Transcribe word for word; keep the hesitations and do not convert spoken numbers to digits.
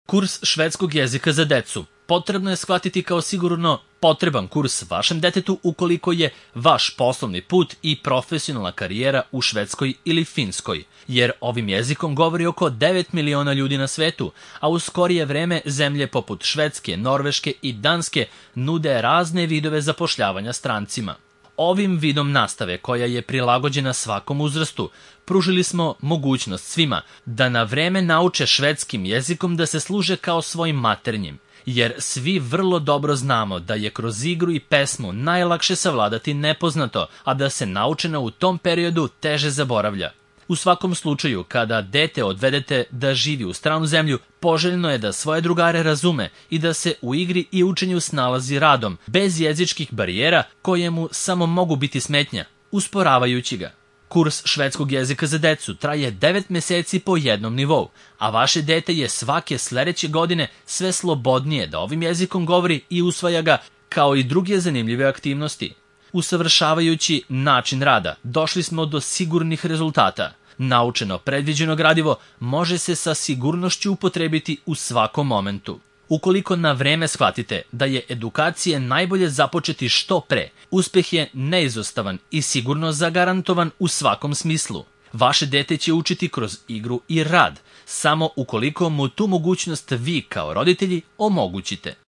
Kurs švedskog jezika za decu potrebno je shvatiti kao sigurno potreban kurs vašem detetu ukoliko je vaš poslovni put i profesionalna karijera u Švedskoj ili Finskoj, jer ovim jezikom govori oko devet miliona ljudi na svetu, a u skorije vreme zemlje poput Švedske, Norveške i Danske nude razne vidove zapošljavanja strancima. Ovim vidom nastave, koja je prilagođena svakom uzrastu, pružili smo mogućnost svima da na vreme nauče švedskim jezikom da se služe kao svojim maternjim, jer svi vrlo dobro znamo da je kroz igru i pesmu najlakše savladati nepoznato, a da se naučeno u tom periodu teže zaboravlja. U svakom slučaju, kada dete odvedete da živi u stranu zemlju, poželjno je da svoje drugare razume i da se u igri i učenju snalazi radom, bez jezičkih barijera koje mu samo mogu biti smetnja, usporavajući ga. Kurs švedskog jezika za decu traje devet meseci po jednom nivou, a vaše dete je svake sledeće godine sve slobodnije da ovim jezikom govori i usvaja ga, kao i druge zanimljive aktivnosti. Usavršavajući način rada, došli smo do sigurnih rezultata. Naučeno predviđeno gradivo može se sa sigurnošću upotrebiti u svakom momentu. Ukoliko na vreme shvatite da je edukacije najbolje započeti što pre, uspeh je neizostavan i sigurno zagarantovan u svakom smislu. Vaše dete će učiti kroz igru i rad, samo ukoliko mu tu mogućnost vi kao roditelji omogućite.